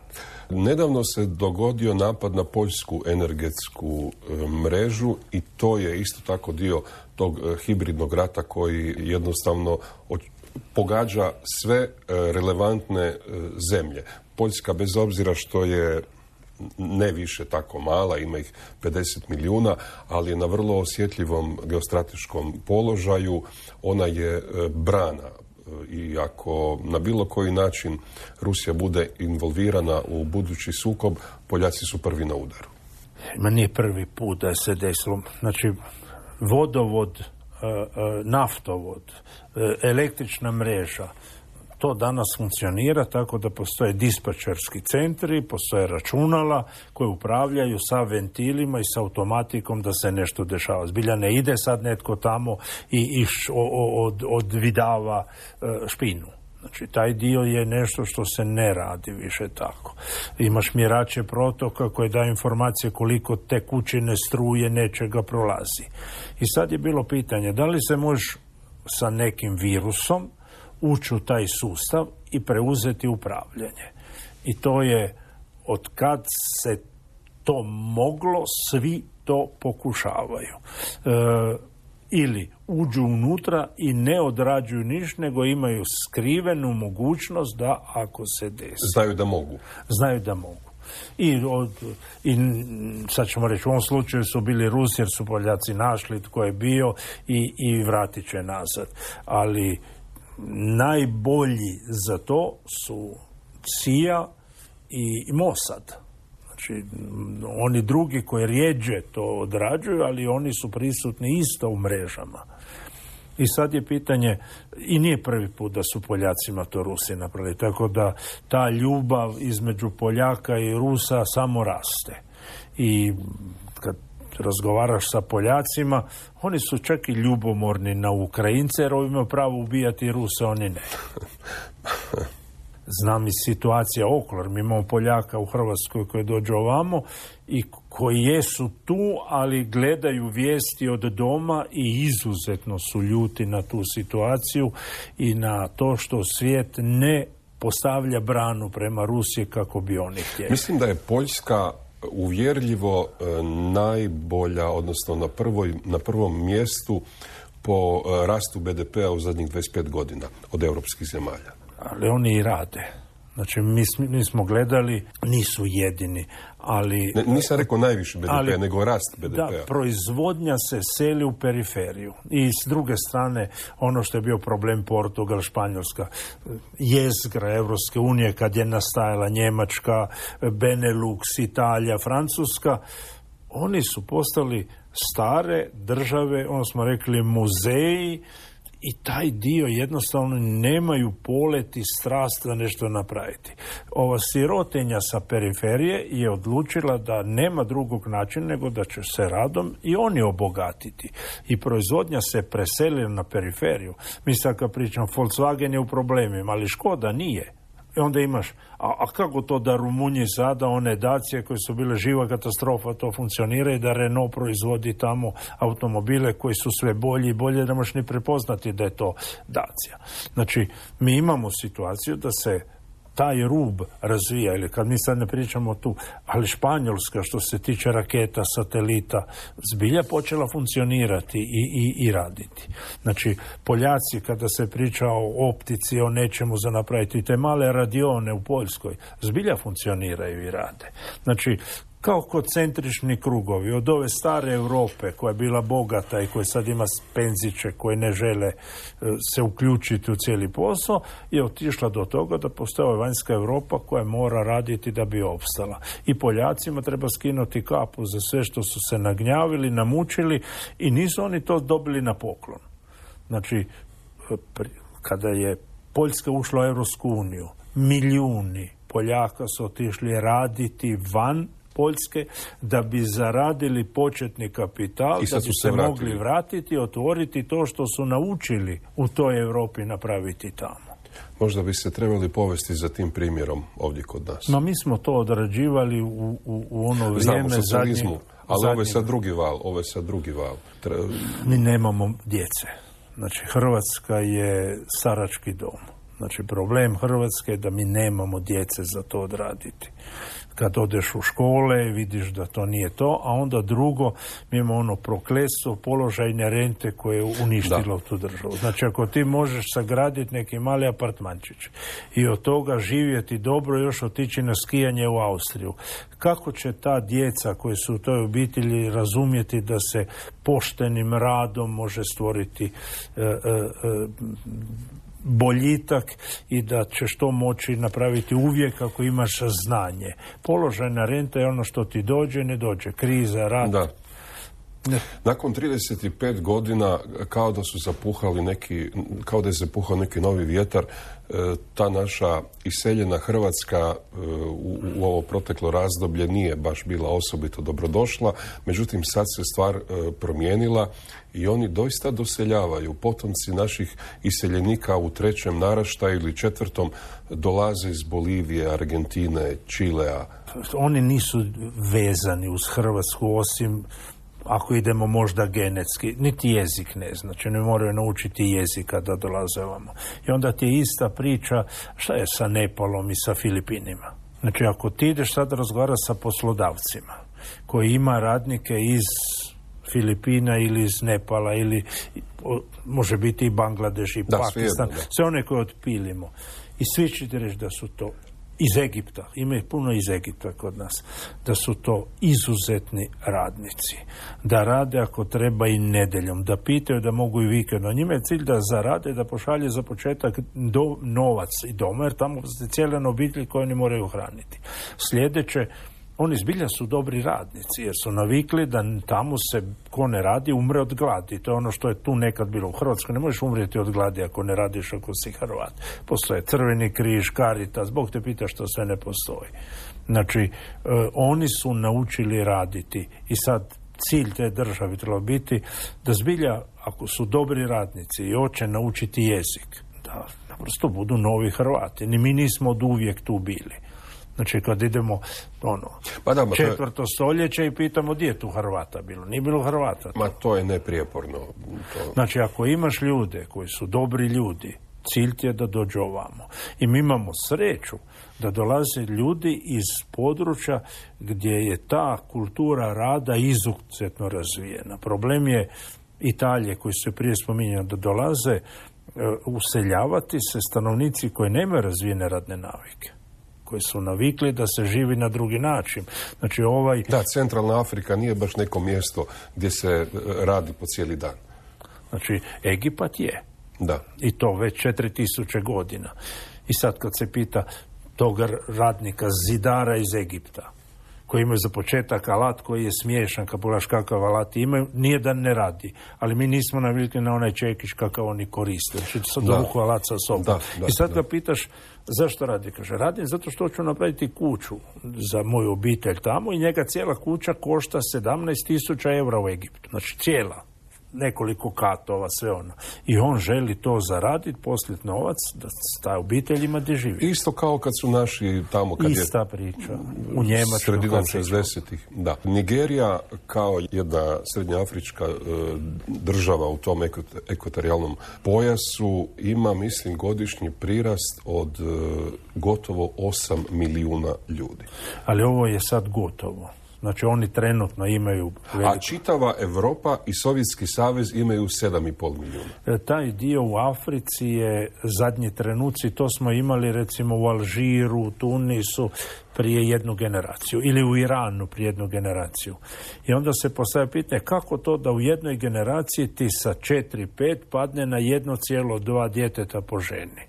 Speaker 5: Nedavno se dogodio napad na poljsku energetsku mrežu i to je isto tako dio tog hibridnog rata koji jednostavno pogađa sve relevantne zemlje. Poljska, bez obzira što je ne više tako mala, ima ih 50 milijuna, ali je na vrlo osjetljivom geostrateškom položaju. Ona je brana i ako na bilo koji način Rusija bude involvirana u budući sukob, Poljaci su prvi na udaru.
Speaker 6: Ma nije prvi put da se desilo. Znači, vodovod, naftovod, električna mreža, to danas funkcionira tako da postoje dispečerski centri, postoje računala koje upravljaju sa ventilima i sa automatikom da se nešto dešava. Zbilja ne ide sad netko tamo i odvidava špinu. Znači, taj dio je nešto što se ne radi više tako. Imaš mjerače protoka koje daju informacije koliko tekućine, struje, nečega prolazi. I sad je bilo pitanje, da li se može sa nekim virusom ući u taj sustav i preuzeti upravljanje. I to je, od kad se to moglo, svi to pokušavaju. Ili uđu unutra i ne odrađuju ništa, nego imaju skrivenu mogućnost da ako se desi.
Speaker 5: Znaju da mogu.
Speaker 6: Znaju da mogu. I sad ćemo reći, u ovom slučaju su bili Rusi jer su Poljaci našli tko je bio i vratit će nazad. Ali najbolji za to su CIA i Mossad. Znači, oni drugi koji rijeđe to odrađuju, ali oni su prisutni isto u mrežama. I sad je pitanje, i nije prvi put da su Poljacima to Rusi napravili, tako da ta ljubav između Poljaka i Rusa samo raste. I kad razgovaraš sa Poljacima, oni su čak i ljubomorni na Ukrajince, jer imaju pravo ubijati Ruse, oni ne. Znam i situacija okolo, mi imamo Poljaka u Hrvatskoj koji dođu ovamo i koji jesu tu, ali gledaju vijesti od doma i izuzetno su ljuti na tu situaciju i na to što svijet ne postavlja branu prema Rusiji kako bi oni htjeli.
Speaker 5: Mislim da je Poljska uvjerljivo najbolja, odnosno na prvom mjestu po rastu BDP-a u zadnjih 25 godina od europskih zemalja.
Speaker 6: Ali oni i rade. Znači, mi smo gledali, nisu jedini, ali...
Speaker 5: Nisam rekao najviše BDP-a, nego rast BDP-a.
Speaker 6: Da, proizvodnja se seli u periferiju. I s druge strane, ono što je bio problem Portugal, Španjolska, jezgra Evropske unije, kad je nastajala Njemačka, Benelux, Italija, Francuska, oni su postali stare države, ono smo rekli muzeji, i taj dio jednostavno nemaju polet i strast da nešto napraviti. Ova sirotinja sa periferije je odlučila da nema drugog načina nego da će se radom i oni obogatiti. I proizvodnja se preselila na periferiju. Mi sad kad pričam, Volkswagen je u problemima, ali Škoda nije. I onda imaš, a kako to da Rumunji sada, one Dacije koje su bile živa katastrofa, to funkcionira i da Renault proizvodi tamo automobile koji su sve bolji i bolje, da možeš ni prepoznati da je to Dacia. Znači, mi imamo situaciju da se taj rub razvija, ili kad mi sad ne pričamo tu, ali Španjolska što se tiče raketa, satelita, zbilja počela funkcionirati i raditi. Znači, Poljaci kada se priča o optici, o nečemu za napraviti, te male radione u Poljskoj, zbilja funkcioniraju i rade. Znači, kao koncentrični krugovi od ove stare Europe koja je bila bogata i koja sad ima penziće koje ne žele se uključiti u cijeli posao, je otišla do toga da postoji vanjska Europa koja mora raditi da bi opstala. I Poljacima treba skinuti kapu za sve što su se nagnjavili, namučili i nisu oni to dobili na poklon. Znači, kada je Poljska ušla u Europsku uniju, milijuni Poljaka su otišli raditi van Poljske da bi zaradili početni kapital, da bi se mogli vratiti, otvoriti to što su naučili u toj Europi napraviti tamo.
Speaker 5: Možda bi se trebali povesti za tim primjerom ovdje kod nas.
Speaker 6: No, mi smo to odrađivali u ono vrijeme
Speaker 5: socijalizmu, ali ovo je sad drugi val.
Speaker 6: Mi nemamo djece. Znači, Hrvatska je starački dom. Znači, problem Hrvatske je da mi nemamo djece za to odraditi. Kad odeš u škole, vidiš da to nije to, a onda drugo, mi imamo ono prokletstvo položajne rente koje je uništilo tu državu. Znači, ako ti možeš sagraditi neki mali apartmančić i od toga živjeti dobro, još otići na skijanje u Austriju, kako će ta djeca koji su u toj obitelji razumjeti da se poštenim radom može stvoriti boljitak i da ćeš to moći napraviti uvijek ako imaš znanje. Položajna renta je ono što ti dođe, ne dođe. Kriza, rat.
Speaker 5: Da. Nakon 35 godina kao da je zapuhao neki novi vjetar, ta naša iseljena Hrvatska u ovo proteklo razdoblje nije baš bila osobito dobrodošla, međutim sad se stvar promijenila i oni doista doseljavaju. Potomci naših iseljenika u 3. naraštaju ili 4. dolaze iz Bolivije, Argentine, Čilea.
Speaker 6: Oni nisu vezani uz Hrvatsku osim ako idemo možda genetski, niti jezik ne znači, ne moraju naučiti jezika da dolaze ovamo. I onda ti je ista priča šta je sa Nepalom i sa Filipinima. Znači, ako ti ideš sad razgovarati sa poslodavcima koji ima radnike iz Filipina ili iz Nepala ili može biti i Bangladeš i Pakistan, sve one koje otpilimo. I svi ćete reći da su to iz Egipta, ima ih puno iz Egipta kod nas, da su to izuzetni radnici. Da rade ako treba i nedjeljom, da pitaju da mogu i vikendom. Njima je cilj da zarade, da pošalje za početak novac i doma, jer tamo je cijela obitelj koju oni moraju hraniti. Sljedeće, oni zbilja su dobri radnici, jer su navikli da tamo se ko ne radi umre od gladi. To je ono što je tu nekad bilo. U Hrvatskoj ne možeš umrijeti od gladi ako ne radiš, ako si Hrvat. Postoje Crveni križ, Caritas, Bog te pita što sve ne postoji. Znači, oni su naučili raditi i sad cilj te države treba biti da zbilja, ako su dobri radnici i hoće naučiti jezik, da naprosto budu novi Hrvati. Ni mi nismo od uvijek tu bili. Znači, kad idemo četvrto stoljeće i pitamo gdje je tu Hrvata bilo. Nije bilo Hrvata.
Speaker 5: Ma to je neprijeporno.
Speaker 6: Znači, ako imaš ljude koji su dobri ljudi, cilj ti je da dođu ovamo. I mi imamo sreću da dolaze ljudi iz područja gdje je ta kultura rada izuzetno razvijena. Problem je Italije, koji su prije spominjali, da dolaze useljavati se stanovnici koji nemaju razvijene radne navike, koji su navikli da se živi na drugi način. Znači,
Speaker 5: Da, centralna Afrika nije baš neko mjesto gdje se radi po cijeli dan.
Speaker 6: Znači, Egipat je.
Speaker 5: Da.
Speaker 6: I to već 4000 godina. I sad kad se pita tog radnika, zidara iz Egipta, koji imaju za početak alat koji je smiješan, kad pogledaš kakav alat imaju, nije da ne radi. Ali mi nismo navikli na onaj čekić kakav oni koriste. Znači, sad dovuku alat sa sobom. I sad ga pitaš zašto radi? Kaže, radim zato što hoću napraviti kuću za moju obitelj tamo i njega cijela kuća košta 17.000 eura u Egiptu. Znači, cijela. Nekoliko katova, sve ono. I on želi to zaraditi, posliti novac, da ta obitelj ima gdje živi.
Speaker 5: Isto kao kad su naši tamo...
Speaker 6: Ista priča. U Njemačkoj.
Speaker 5: Sredinom 60-ih. Da. Nigerija kao jedna srednjoafrička država u tom ekvatorijalnom pojasu ima, mislim, godišnji prirast od gotovo 8 milijuna ljudi.
Speaker 6: Ali ovo je sad gotovo. Znači, oni trenutno imaju...
Speaker 5: A čitava Europa i Sovjetski savez imaju 7,5 milijuna.
Speaker 6: Taj dio u Africi je zadnji trenuci, to smo imali recimo u Alžiru, u Tunisu prije jednu generaciju ili u Iranu prije jednu generaciju. I onda se postavlja pitanje kako to da u jednoj generaciji ti sa 4-5 padne na 1,2 djeteta po ženi.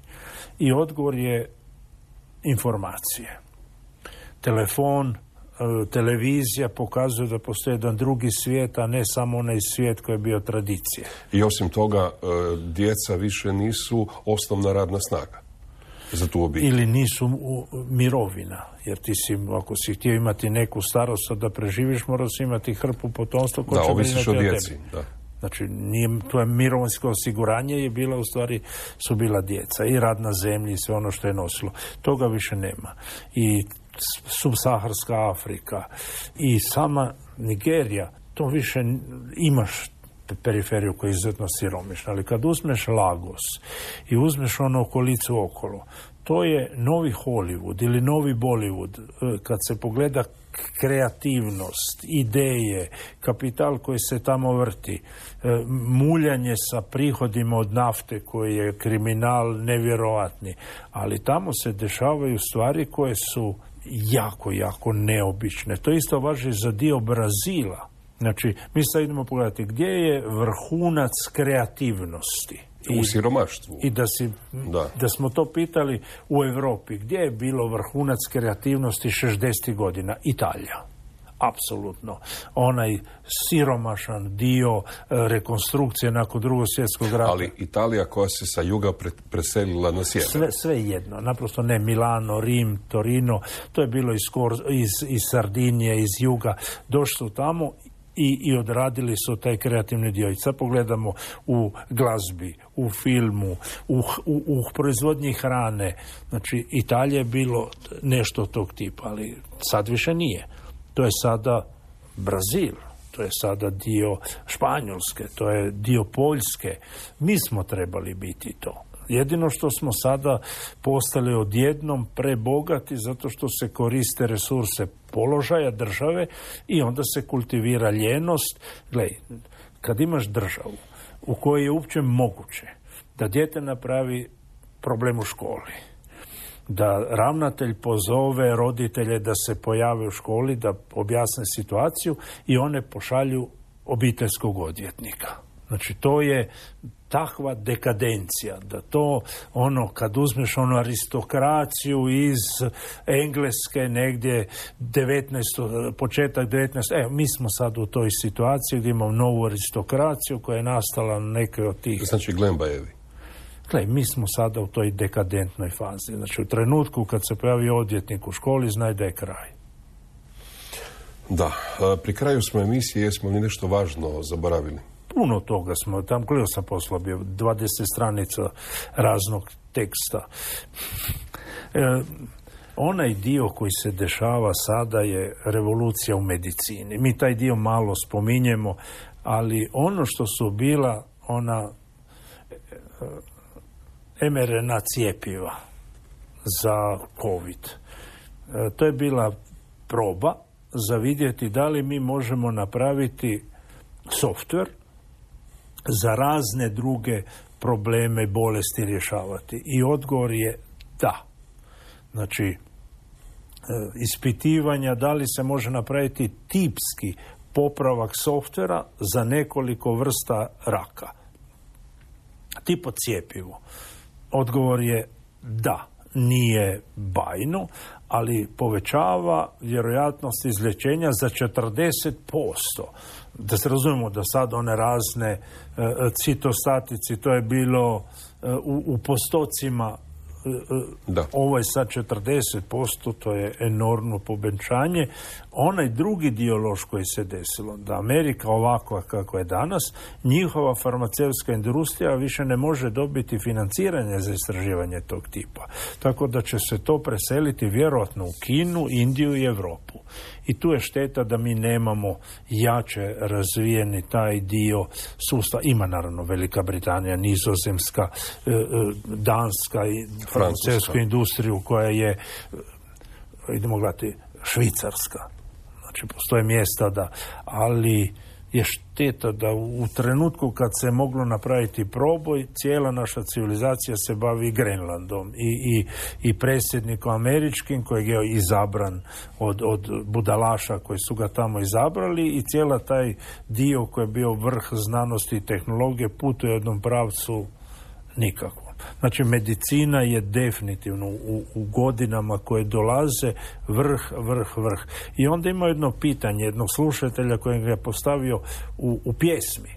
Speaker 6: I odgovor je informacije. Telefon, televizija pokazuje da postoji jedan drugi svijet, a ne samo onaj svijet koji je bio tradicija.
Speaker 5: I osim toga, djeca više nisu osnovna radna snaga za tu obitelj.
Speaker 6: Ili nisu mirovina, jer ti si, ako si htio imati neku starost da preživiš, moraš imati hrpu potomstva koje će
Speaker 5: ovisiš o djeci. Da.
Speaker 6: Znači, to je mirovinsko osiguranje je bila u stvari, su bila djeca i rad na zemlji i sve ono što je nosilo. Toga više nema. I subsaharska Afrika i sama Nigerija, to više imaš periferiju koja je izuzetno siromašna. Ali kad uzmeš Lagos i uzmeš ono okolicu okolo, to je novi Hollywood ili novi Bollywood. Kad se pogleda kreativnost, ideje, kapital koji se tamo vrti, muljanje sa prihodima od nafte koji je kriminal nevjerojatni, ali tamo se dešavaju stvari koje su jako, jako neobične. To isto važi za dio Brazila. Znači, mi sad idemo pogledati gdje je vrhunac kreativnosti.
Speaker 5: U siromaštvu.
Speaker 6: I da smo to pitali u Europi, gdje je bilo vrhunac kreativnosti 60. godina? Italija. Apsolutno. Onaj siromašan dio rekonstrukcije nakon Drugog svjetskog rata.
Speaker 5: Ali Italija koja se sa juga preselila na sjever.
Speaker 6: Sve jedno. Naprosto ne Milano, Rim, Torino. To je bilo iz Sardinije, iz juga. Došli su tamo i odradili su taj kreativni dio. I sad pogledamo u glazbi, u filmu, u proizvodnji hrane. Znači, Italija je bilo nešto tog tipa, ali sad više nije. To je sada Brazil, to je sada dio Španjolske, to je dio Poljske. Mi smo trebali biti to. Jedino što smo sada postali odjednom prebogati zato što se koriste resurse položaja države i onda se kultivira ljenost. Gledaj, kad imaš državu u kojoj je uopće moguće da dijete napravi problem u školi, da ravnatelj pozove roditelje da se pojave u školi, da objasne situaciju i one pošalju obiteljskog odvjetnika. Znači, to je takva dekadencija, da to, kad uzmeš aristokraciju iz Engleske, negdje početak 19. Mi smo sad u toj situaciji gdje imamo novu aristokraciju koja je nastala na nekoj od tih...
Speaker 5: Znači, Glembajevi.
Speaker 6: Mi smo sada u toj dekadentnoj fazi. Znači, u trenutku kad se pojavi odvjetnik u školi, znaj da je kraj.
Speaker 5: Da. Pri kraju smo emisije, jesmo li nešto važno zaboravili?
Speaker 6: Puno toga smo, tam koliko sam poslao bio, 20 stranica raznog teksta. Onaj dio koji se dešava sada je revolucija u medicini. Mi taj dio malo spominjemo, ali ono što su bila ona mRNA cijepiva za COVID, to je bila proba za vidjeti da li mi možemo napraviti softver za razne druge probleme, bolesti rješavati. I odgovor je da. Znači, ispitivanja da li se može napraviti tipski popravak softvera za nekoliko vrsta raka. Tipo cijepivo. Odgovor je da. Nije bajno, ali povećava vjerojatnost izlječenja za 40%. Da se razumemo da sad one razne citostatici, to je bilo u postocima, ovo je sad 40%, to je enormno povećanje. Onaj drugi dio loš koji se desilo, da Amerika ovakva kako je danas, njihova farmaceutska industrija više ne može dobiti financiranje za istraživanje tog tipa. Tako da će se to preseliti vjerojatno u Kinu, Indiju i Europu. I tu je šteta da mi nemamo jače razvijeni taj dio sustava. Ima naravno Velika Britanija, Nizozemska, Danska i farmaceutsku industriju koja je, idemo gledati, Švicarska. Znači, postoje mjesta ali je šteta da u trenutku kad se moglo napraviti proboj, cijela naša civilizacija se bavi Grenlandom i predsjednikom američkim kojeg je izabran od budalaša koji su ga tamo izabrali i cijela taj dio koji je bio vrh znanosti i tehnologije putuje u jednom pravcu nikako. Znači, medicina je definitivno u godinama koje dolaze vrh. I onda ima jedno pitanje jednog slušatelja kojeg je postavio u pjesmi.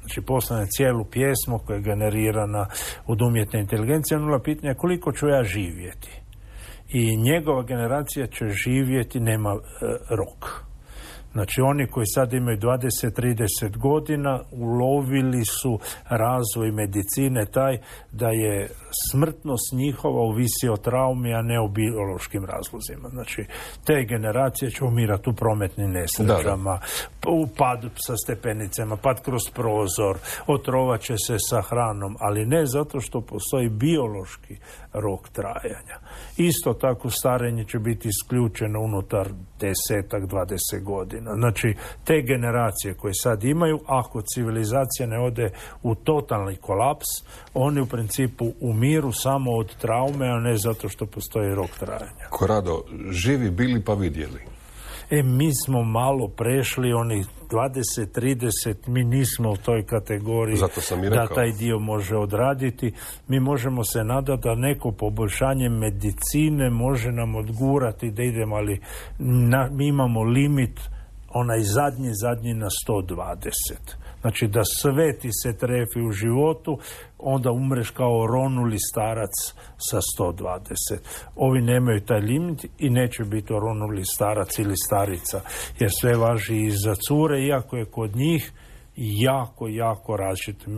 Speaker 6: Znači, postane cijelu pjesmu koja je generirana od umjetne inteligencije. Ono pitanje koliko ću ja živjeti. I njegova generacija će živjeti, nema rok. Znači oni koji sad imaju 20-30 godina ulovili su razvoj medicine taj da je smrtnost njihova ovisi o traumi, a ne o biološkim razlozima. Znači te generacije će umirati u prometnim nesrećama, u padu sa stepenicama, pad kroz prozor, otrovat će se sa hranom, ali ne zato što postoji biološki rok trajanja. Isto tako starenje će biti isključeno unutar 10-20 godina. Znači, te generacije koje sad imaju, ako civilizacija ne ode u totalni kolaps, oni u principu umiru samo od traume, a ne zato što postoji rok trajanja.
Speaker 5: Korado, živi bili pa vidjeli.
Speaker 6: Mi smo malo prešli onih 20-30, mi nismo u toj kategoriji da taj dio može odraditi. Mi možemo se nadati da neko poboljšanje medicine može nam odgurati da idemo, ali mi imamo limit onaj zadnji na 120. Znači da sve ti se trefi u životu, onda umreš kao ronuli starac sa 120. Ovi nemaju taj limit i neće biti ronuli starac ili starica, jer sve važi i za cure, iako je kod njih jako različito.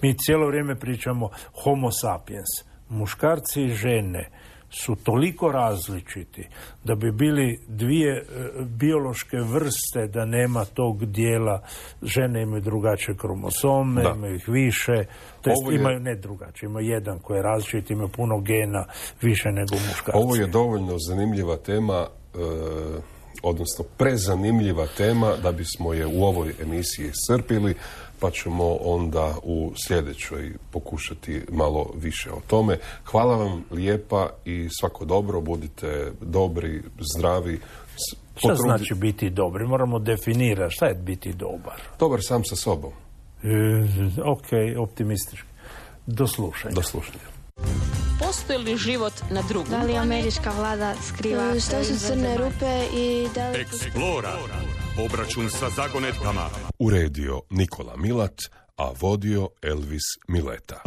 Speaker 6: Mi cijelo vrijeme pričamo homo sapiens. Muškarci i žene su toliko različiti da bi bili dvije biološke vrste, da nema tog dijela. Žene imaju drugačije kromosome, imaju ih više, to jest imaju ne drugačije, imaju jedan koji je različit, imaju puno gena više nego muškarci.
Speaker 5: Ovo je dovoljno zanimljiva tema, odnosno prezanimljiva tema da bismo je u ovoj emisiji iscrpili, pa ćemo onda u sljedećoj pokušati malo više o tome. Hvala vam lijepa i svako dobro, budite dobri, zdravi.
Speaker 6: Šta znači biti dobri? Moramo definirati šta je biti dobar.
Speaker 5: Dobar sam sa sobom.
Speaker 6: Ok, optimistički. Do slušanja.
Speaker 1: Postoji li život na drugom?
Speaker 2: Da li američka vlada skriva
Speaker 3: Što su crne rupe i da li...
Speaker 4: Eksplora. Obračun sa zagonetkama.
Speaker 5: Uredio Nikola Milat, a vodio Elvis Mileta.